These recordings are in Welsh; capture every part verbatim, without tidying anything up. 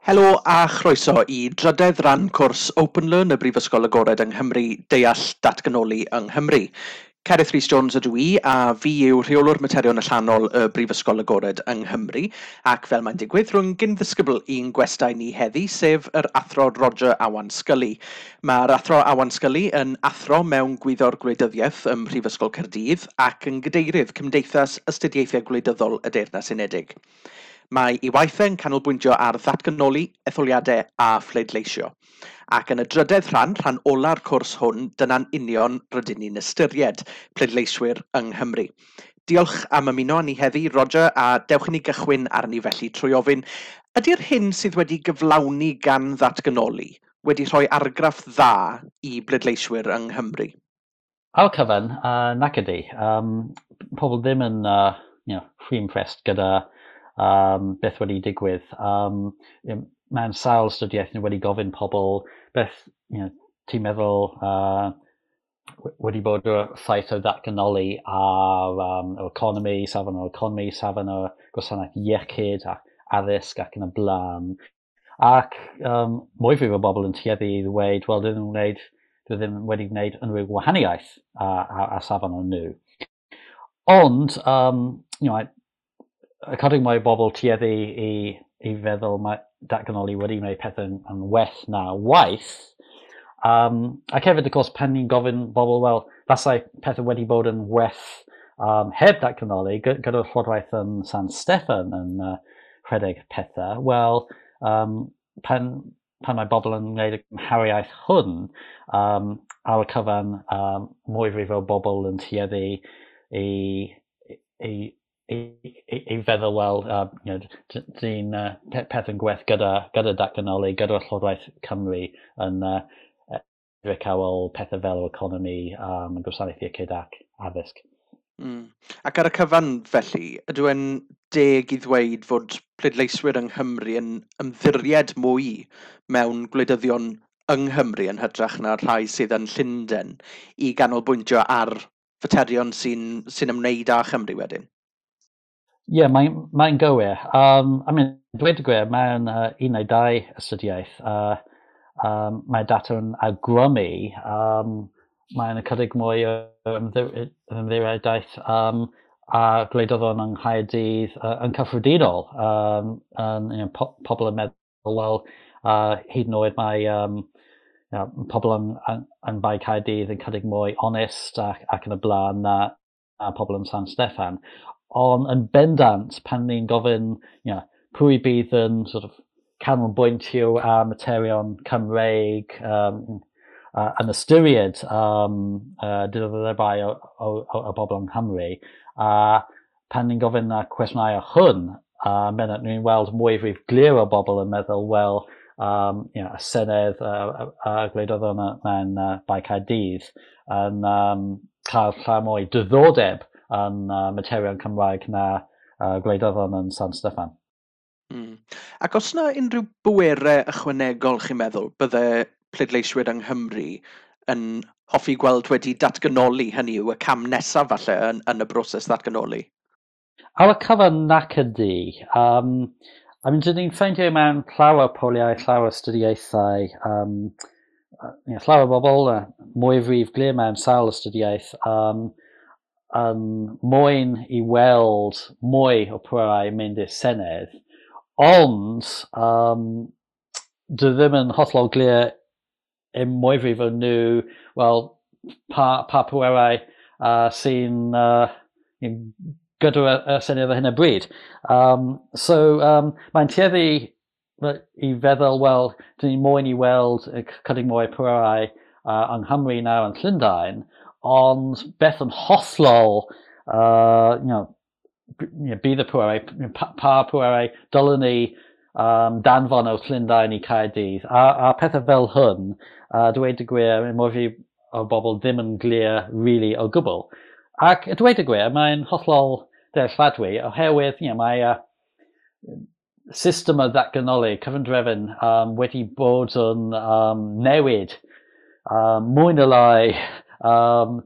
Helo a chroeso i drydedd ran cwrs OpenLearn y Brifysgol Agored yng Nghymru, Deall Datganoli yng Nghymru. Cerith Rhys Jones ydw i a fi yw rheolwr materion allanol y Brifysgol Agored yng Nghymru ac fel mae'n digwydd rwy'n gyn-ddisgybl i'n gwestai ni heddi, sef yr Athro Roger Awan Scully. Mae'r Athro Awan Scully yn athro mewn gwyddor gwleidyddiaeth ym Mhrifysgol Caerdydd ac yn gadeirydd Cymdeithas Astudiaethau Gwleidyddol y Deyrnas Unedig. Mae ei waith e'n canolbwyntio ar ddatganoli, etholiadau a phleidleisio. Ac yn y drydedd rhan, rhan ola'r cwrs hwn, dyna'n union rydyn ni'n ystyried pleidleiswyr yng Nghymru. Diolch am ymuno â ni heddi, Roger, a dewch i ni gychwyn arni felly trwy ofyn, ydy'r hyn sydd wedi gyflawni gan ddatganoli wedi rhoi argraff dda i bleidleiswyr yng Nghymru? Ar y cyfan, uh, nac ydy. Um, pobl ddim yn uh, you know, rhy impressed gyda um, beth wedi digwydd. Um, mewn sawl astudiaeth ni wedi gofyn pobl beth you know, ti'n meddwl uh, wedi bod y ffaith o ddatganoli ar um, yr economi, safon yr economi, safon y gwasanaeth iechyd ac addysg ac yn y blaen. Ac um, mwyfwyf o bobl yn tueddu i ddweud, wel, dwi ddim, wneud, dwi ddim wedi gwneud unrhyw gwahaniaeth a, a, a safon o'n nhw. Ond, um, you know, ychydig mwy o bobl tueddu i, i feddwl mae datganoli wedi gwneud pethau yn, yn well na waith. Um, ac hefyd, of course, pan ni'n gofyn bobl, wel, fasai pethau wedi bod yn well um, heb datganoli, gyda'r llywodraeth yn San Steffan yn uh, rhedeg pethau, wel, um, pan, pan mae bobl yn gwneud y cymhariaeth hwn, um, ar y cyfan, um, mwyfwyf o bobl yn tueddu i, i, i, i, i feddwl, wel, uh, you know, dyn uh, peth yn gwell gyda, gyda datganoli, gyda'r Llywodraeth Cymru yn uh, edrych ar ôl pethau fel yr economi, um, gwasanaeth iechyd ac addysg. Mm. Ac ar y cyfan felly, ydw e'n deg i ddweud fod pleidleiswyr yng Nghymru yn ymddiried mwy mewn gwleidyddion yng Nghymru yn hytrach na'r rhai sydd yn Llundain i ganolbwyntio ar faterion sy'n sy ymwneud â Chymru wedyn? Ie, yeah, mae'n mae gywir. Um, I mean, dweud y gwir, mewn uh, un neu dau astudiaeth, uh, um, mae data yn awgrymu, um, mae'n ychydig mwy o ymddiriedaeth um, a gwleidyddon yng Nghaerdydd uh, yn cyffredinol. Um, um, you know, po pobl yn meddwl, wel, uh, hyd yn oed mae um, you know, pobl yn, yn, yn Bae Caerdydd yn chydig mwy onest ac, ac yn y blaen na, na pobl yn San Steffan. Ond yn bendant, pan ni'n gofyn you know, pwy bydd yn sort of canolbwyntio ar materion Cymreig um, uh, yn ystyried um, uh, diddordebau o, o, o, o bobl yng Nghymru, a pan ni'n gofyn y cwestiynau o hwn, uh, bendant ni'n weld mwyfwyf glir o bobl yn meddwl, wel, um, you know, y Senedd a, a, a gwleidyddon mewn uh, Bae Caerdydd yn um, cael llawer mwy diddordeb yn uh, materion Cymraeg na uh, gwleidyddon yn San Steffan. Mm. Ac os yna unrhyw bwerau ychwanegol chi'n meddwl bydde pleidleiswyr yng Nghymru yn hoffi gweld wedi datganoli, hynny yw y cam nesaf falle yn, yn y broses ddatganoli? Ar y cyfan nac ydy. Um, I mean, dyn ni'n ffeindio mewn llawer o poliau, llawer o astudiaethau, um, you know, llawer o bobl, uh, mwyfwyf glir mewn sawl astudiaeth, um, yn moyn i weld mwy o pwerau mynd i'r Senedd, ond um, dwi ddim yn hollol glir i mwyfwyf o nhw, wel, pa, pa pwerau uh, sy'n uh, gyda y Senedd ar hyn o bryd. Um, so, um, mae'n tueddu i feddwl, wel, dyn ni moyn i weld chydig mwy o pwerau uh, yng Nghymru nawr yn Llundain, ond beth yn hollol, uh, you know, bydd y pwerau, pa, pa pwerau dylwn ni um, danfon o Llundain i Caerdydd. A, a pethau fel hwn, uh, dweud y gwir, mwy o bobl ddim yn glir really o gwbl. Ac dweud y gwir, mae'n hollol dealladwy oherwydd you know, mae uh, system o ddatganoli, cyfundrefn, um, wedi bod yn um, newid um, mwy na lai um,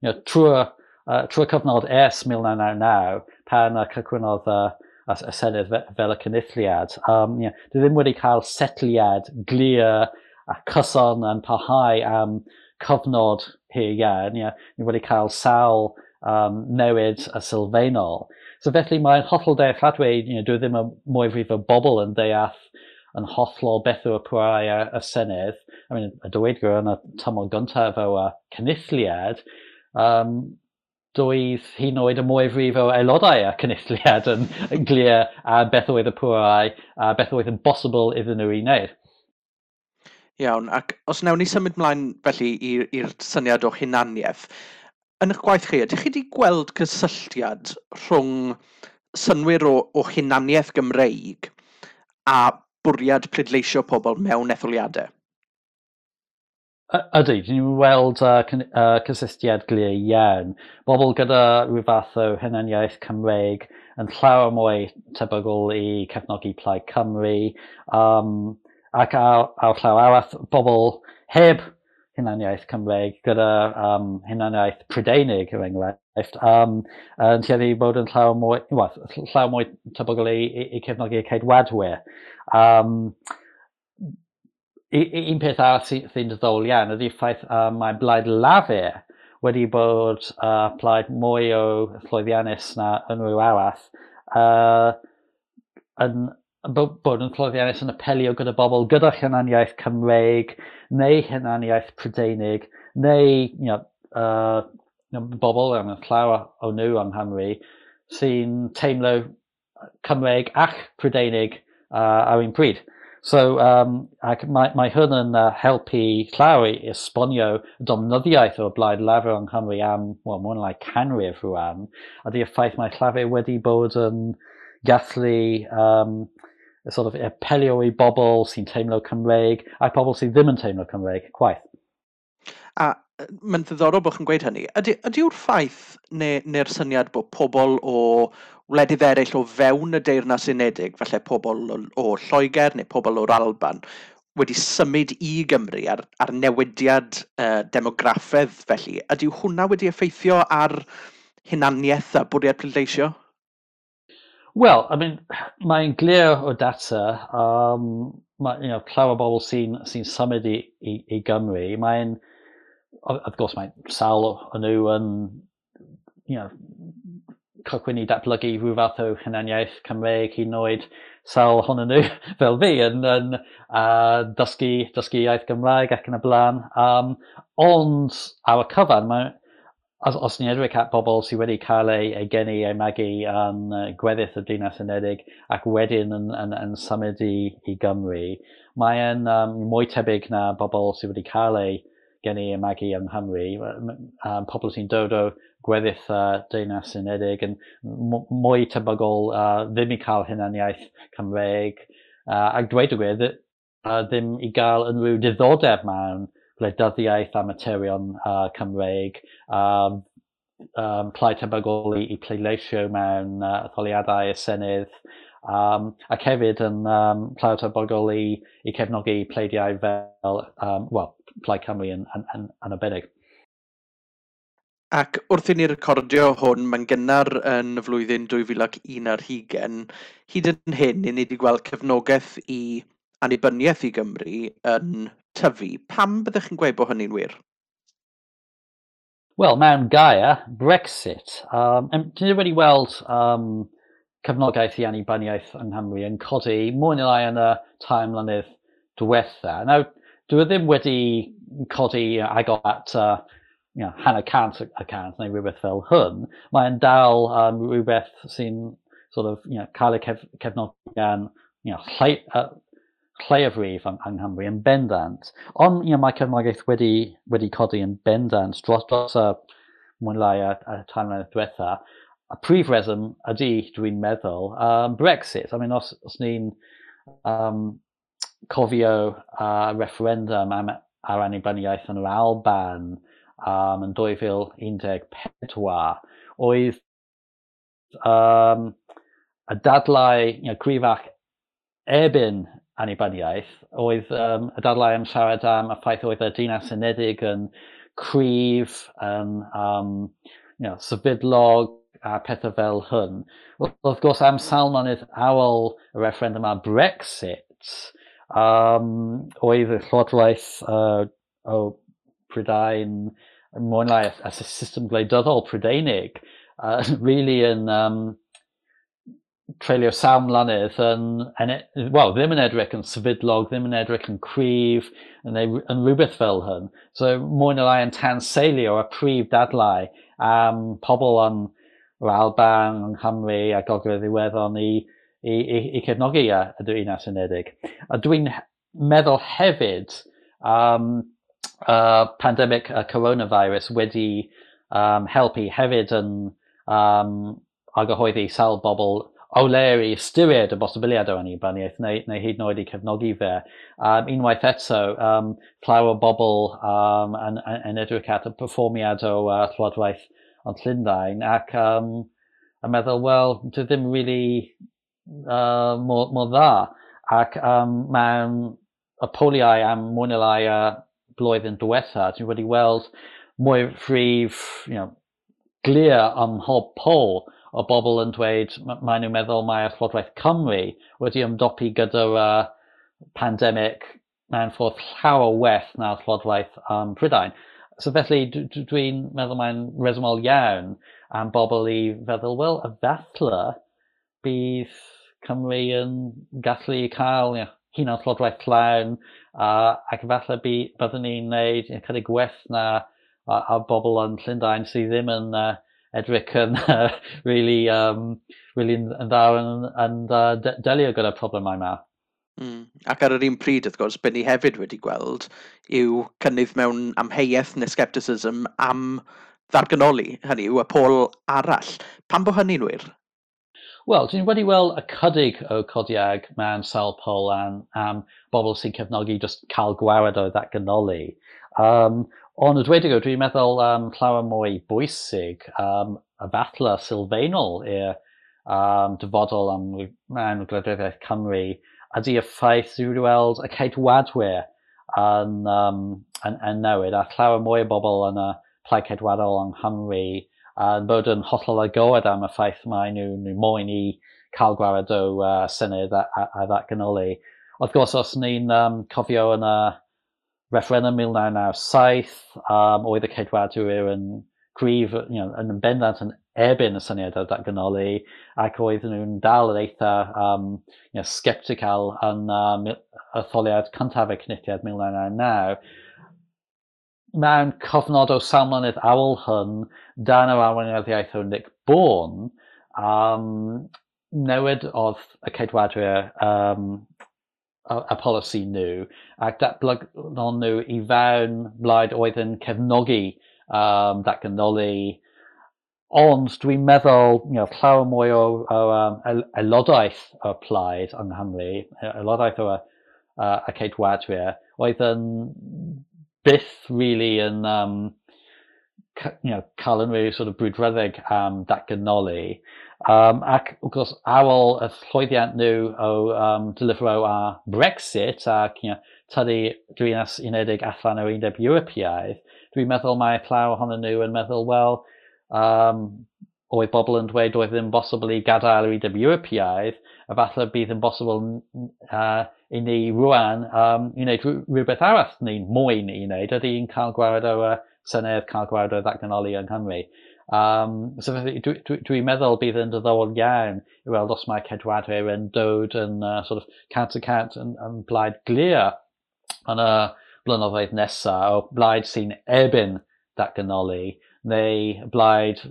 you know, trwy, uh, trwy cyfnod ers mil naw naw naw pan uh, cychwynnodd uh, y, y Senedd fel y Cynulliad. Um, you know, dwi ddim wedi cael setliad glir a cyson yn parhau am cyfnod hir iawn. You know, ni wedi cael sawl um, newid y sylfaenol. So felly mae'n hollol dealladwy, you know, dwi ddim yn mwyafrif o bobl yn deall yn hollol beth yw y pwerau y, y Senedd. I mean, y dweud gwir yn y tymor gyntaf o y Cynulliad, um, doedd hyd yn oed y mwyafrif o aelodau y Cynulliad yn, yn glir a beth oedd y pwerau a beth oedd yn bosibl iddyn nhw i wneud. Iawn, ac os wnawn ni symud mlaen felly i'r syniad o hunaniaeth, yn eich gwaith chi, ydych chi wedi gweld cysylltiad rhwng synnwyr o, o hunaniaeth Gymreig a bwriad pleidleisio pobl mewn etholiadau? Ydy, ni'n weld uh, uh, cysylltiad glir iawn. Bobl gyda rhyw fath o hunaniaeth Cymreig yn llawer mwy tebygol i cefnogi Plaid Cymru. Um, ac ar, ar llaw arall, bobl heb hunaniaeth Cymreig gyda um, hunaniaeth Prydeinig, er enghraifft, um, yn tueddu bod yn llawer mwy, well, llawer mwy tebygol i, i, i cefnogi y Ceidwadwyr. Um, un peth arall sy'n sy diddorol iawn ydy'r ffaith uh, mae Blaid Lafur wedi bod uh, plaid mwy o llwyddiannus na unrhyw arall uh, yn bod yn llwyddiannus yn apelio gyda bobl gyda hunaniaeth Cymreig neu hunaniaeth Prydeinig neu you know, uh, you know, bobl am llawer o nhw yng Nghymru sy'n teimlo Cymreig ac Prydeinig uh, ar un pryd. So, um, ac mae, mae hwn yn uh, helpu llawer i esbonio y dominyddiaeth o'r Blaid Lafur yng Nghymru am, well, mwy na lai canrif rwan, a di'r ffaith mae Llafur wedi bod yn gallu um, sort of apelio i bobl sy'n teimlo Cymreig a pobl sydd ddim yn teimlo Cymreig chwaith. A mae'n ddiddorol bod chi'n gweud hynny. Ydy, ydy yw'r ffaith neu, neu'r syniad bod pobl o wledydd eraill o fewn y Deyrnas Unedig, falle pobl o, o Lloegr neu pobl o'r Alban, wedi symud i Gymru ar, ar newidiad uh, demograffedd felly, ydy hwnna wedi effeithio ar hunaniaeth a bwriad pleidleisio? Wel, I mean, mae'n glir o data, um, mae, you know, llawer o bobl sy'n sy symud i, i, i Gymru, mae'n, of course, mae sawl o nhw yn, you know, cychwyn i datblygu rhyw fath o hunaniaeth Cymreig hyd yn oed sawl ohonyn nhw fel fi yn, yn uh, dysgu, dysgu iaith Gymraeg ac yn y blaen. Um, ond ar y cyfan, mae, os, os ni'n edrych at bobl sydd wedi cael ei, ei geni, ei magu yn uh, gweddill y Deyrnas Unedig ac wedyn yn, yn, yn symud i, i Gymru, mae'n um, mwy tebyg na bobl sydd wedi cael ei geni a magu yng Nghymru, um, pobl sy'n dod o gweddill uh, Deyrnas Unedig yn mwy tebygol uh, ddim i cael hunaniaeth Cymreig, uh, ac dweud y gwir, uh, ddim i gael unrhyw diddordeb mewn gwleidyddiaeth a materion uh, Cymreig, um, um, llai tebygol i, i pleidleisio mewn uh, etholiadau y Senedd, um, ac hefyd yn um, llai tebygol i, i cefnogi pleidiau fel, um, well, Plaid Cymru yn, yn, yn, yn arbennig. Ac wrth i ni recordio hwn, mae'n gynnar yn y flwyddyn dwy fil ac un ar hugain, hyd yn hyn, ni wedi gweld cefnogaeth i annibyniaeth i Gymru yn tyfu. Pam byddech chi'n gweud bod hynny'n wir? Wel, mewn gair, Brexit. Um, Dyn ni wedi weld um, cefnogaeth i annibyniaeth yng Nghymru yn codi mwy neu lai yn y tair mlynedd diwetha. Nawr, dwi ddim wedi codi agor at uh, you know, hanner cant y cant neu rhywbeth fel hwn. Mae'n dal um, rhywbeth sy'n sort of, you know, cael ei cef cefnogi gan you know, llai, uh, lleiafrif yng, yng Nghymru yn bendant. Ond you know, mae cefnogaeth wedi, wedi codi yn bendant dros, dros y mwy lai y, y tair mlynedd diwetha. Y prif reswm ydy, dwi'n meddwl, um, Brexit. I mean, os, os ni'n um, cofio uh, referendum am, ar annibyniaeth yn yr Alban um, yn dwy fil un deg pedwar, oedd um, y dadlau you know, cryfach erbyn annibyniaeth oedd um, y dadlau am siarad am y ffaith oedd y Deyrnas Unedig yn cryf, yn um, you know, sefydlog, a pethau fel hyn. Wel, wrth gwrs, am sawl mlynedd ar ôl y referendum ar Brexit, um, oedd y Llywodraeth uh, o Prydain, mwy neu lai y system gwleidyddol Prydeinig, uh, really yn um, treulio sawl mlynedd yn, yn, wel, ddim yn edrych yn sefydlog, ddim yn edrych yn cryf, neu yn rhywbeth fel hyn. So mwy neu lai yn tanseilio y prif dadlau am pobl yn yr Alban, yng Nghymru a Gogledd Iwerddon i, i, i, i cefnogi y, y Deyrnas Unedig. A dwi'n meddwl hefyd um, uh, pandemic y coronavirus wedi um, helpu hefyd yn um, argyhoeddi sawl bobl o leia i ystyried y bosibiliad o annibyniaeth neu, neu hyd yn oed i cefnogi fe. Um, unwaith eto, um, llawer o bobl um, yn, yn, yn edrych at y perfformiad o uh, Llywodraeth yn Llundain ac um, yn meddwl, wel, dwi ddim really uh, mor, mor dda. Ac um, mewn y poliau am mwy neu lai y blwyddyn diwetha, dwi wedi weld mwy frif, you know, glir ym mhob pol o bobl yn dweud maen nhw'n meddwl mae Llywodraeth Cymru wedi ymdopi gyda'r uh, pandemig mewn ffordd llawer well na Llywodraeth um, Prydain. So felly dwi'n meddwl mae'n resymol iawn am bobl i feddwl, wel, efallai bydd Cymru yn gallu cael, you know, hunan Llywodraeth llawn uh, ac efallai byddwn ni'n gwneud, you know, chydig gwell na a, a bobl yn Llundain sydd ddim yn uh, edrych yn uh, really, um, really yn, yn dda yn, yn uh, delio gyda'r problemau yma. Mm. Ac ar yr un pryd, wrth gwrs, be ni hefyd wedi gweld yw cynnydd mewn amheuaeth neu scepticism am ddatganoli, hynny yw y pôl arall. Pam bod hynny'n wir? Wel, dwi'n wedi weld ychydig o codiad mewn sawl pol am, am bobl sy'n cefnogi just cael gwared o ddatganoli. Um, ond y dweud y gwir, dwi'n meddwl um, llawer mwy bwysig um, y falle sylfaenol i'r um, dyfodol am mewn gwleidyddiaeth Cymru ydy y ffaith dwi wedi weld y Ceidwadwyr yn, um, yn, yn newid a llawer mwy o bobl yn y Plaid Ceidwadol yng Nghymru yn bod yn hollol agored am y ffaith mae nhw, nhw moyn i cael gwared o uh, Senedd a, a, a ddatganoli. Wrth gwrs, os ni'n um, cofio yn y referendum mil naw naw saith, um, oedd y Ceidwadwyr yn gryf, you know, yn bendant yn erbyn y syniad o datganoli, ac oedd nhw'n dal yn eitha um, you know, sceptical yn um, etholiad cyntaf y Cynulliad mil naw naw naw. Mewn cyfnod o sawl mlynedd ar ôl hyn, dan yr arweinyddiaeth o Nick Bourne, um, newid oedd y Ceidwadwyr um, y, y polisi nhw, ac datblygon nhw i fewn blaid oedd yn cefnogi um, datganoli. Ond dwi'n meddwl, you know, llawer mwy o, o um, aelodaeth o'r plaid yng Nghymru, aelodaeth o uh, y Ceidwadwyr, oedd yn byth really yn um, you know, cael unrhyw sort of brwdfrydig am datganoli. Um, ac wrth gwrs, ar ôl y llwyddiant nhw o um, delifero ar Brexit ac, you know, tynnu Deyrnas Unedig allan o'r Undeb Ewropeaidd, dwi'n meddwl mae llawer ohonyn nhw yn meddwl, wel, um, oedd bobl yn dweud oedd ddim bosibl i gadael yr Undeb Ewropeaidd, a falle bydd yn bosibl uh, i ni rwan um, i wneud rhywbeth arall ni'n moyn i wneud, ydy i'n cael gwared o uh, Senedd, cael gwared o ddatganoli yng Nghymru. Um, so felly, dwi'n dwi, dwi meddwl bydd yn diddorol iawn i weld os mae Ceidwadwyr yn dod yn uh, sort of cant y cant yn, yn blaid glir yn y blynyddoedd nesaf o blaid sy'n erbyn datganoli, neu blaid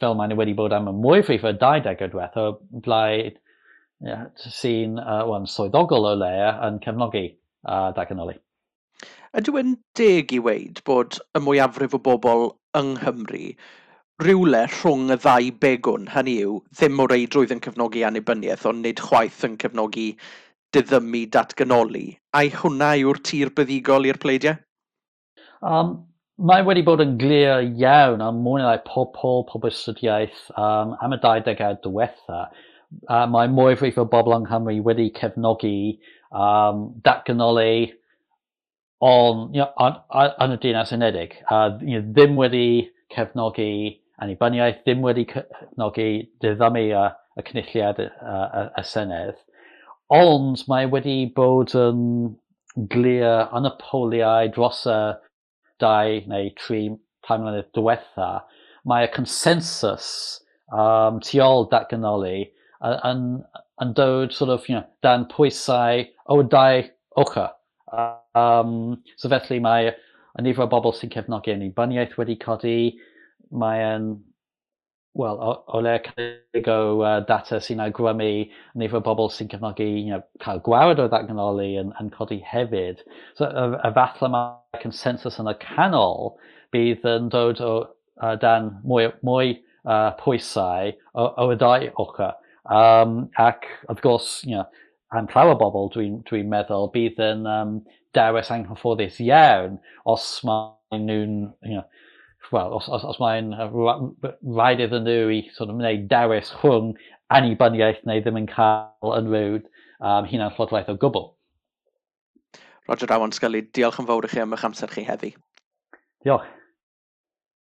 fel maen nhw wedi bod am y mwyafrif y dau degawd diwethaf, o blaid yeah, sy'n uh, well, swyddogol o leia yn cefnogi uh, datganoli. Ydyw e'n deg i weud bod y mwyafrif o bobl yng Nghymru rywle rhwng y ddau begwn, hynny yw, ddim o reidrwydd yn cefnogi annibyniaeth, ond nid chwaith yn cefnogi diddymu datganoli? Ai hwnna yw'r tir buddugol i'r pleidiau? Um, mae wedi bod yn glir iawn am mwy neu lai pob pôl, pob astudiaeth um, am y dau degawd diwetha. Uh, mae mwyafrif o bobl yng Nghymru wedi cefnogi um, datganoli on, you know, on, on, yn y Deyrnas Unedig. Uh, you know, ddim wedi cefnogi annibyniaeth, ddim wedi cefnogi diddymu y, y cynulliad y, y, y Senedd. Ond mae wedi bod yn glir yn y poliau dros y dau neu tri tair mlynedd diwetha, mae y consensus um, tu ôl datganoli yn, yn dod sort of, you know, dan pwysau o dau ochr. Um, so felly mae y nifer o bobl sy'n cefnogi annibyniaeth wedi codi, mae'n, wel, o, o le cynnig o uh, data sy'n awgrymu nifer o bobl sy'n cefnogi you know, cael gwared o ddatganoli yn, yn codi hefyd. So, y, y falle mae consensus yn y canol bydd yn dod o uh, dan mwy, mwy uh, pwysau o, o y dau ochr. Um, ac, wrth gwrs, you know, am llawer bobl, dwi'n dwi meddwl, bydd yn um, dewis anghyfforddus iawn os maen nhw'n, you know, well, os, os, os mae'n rhaid iddyn nhw i sort of wneud dewis rhwng annibyniaeth neu ddim yn cael unrhyw um, hunan llywodraeth o gwbl. Roger Awan Scully, diolch yn fawr i chi am eich amser chi heddi. Diolch.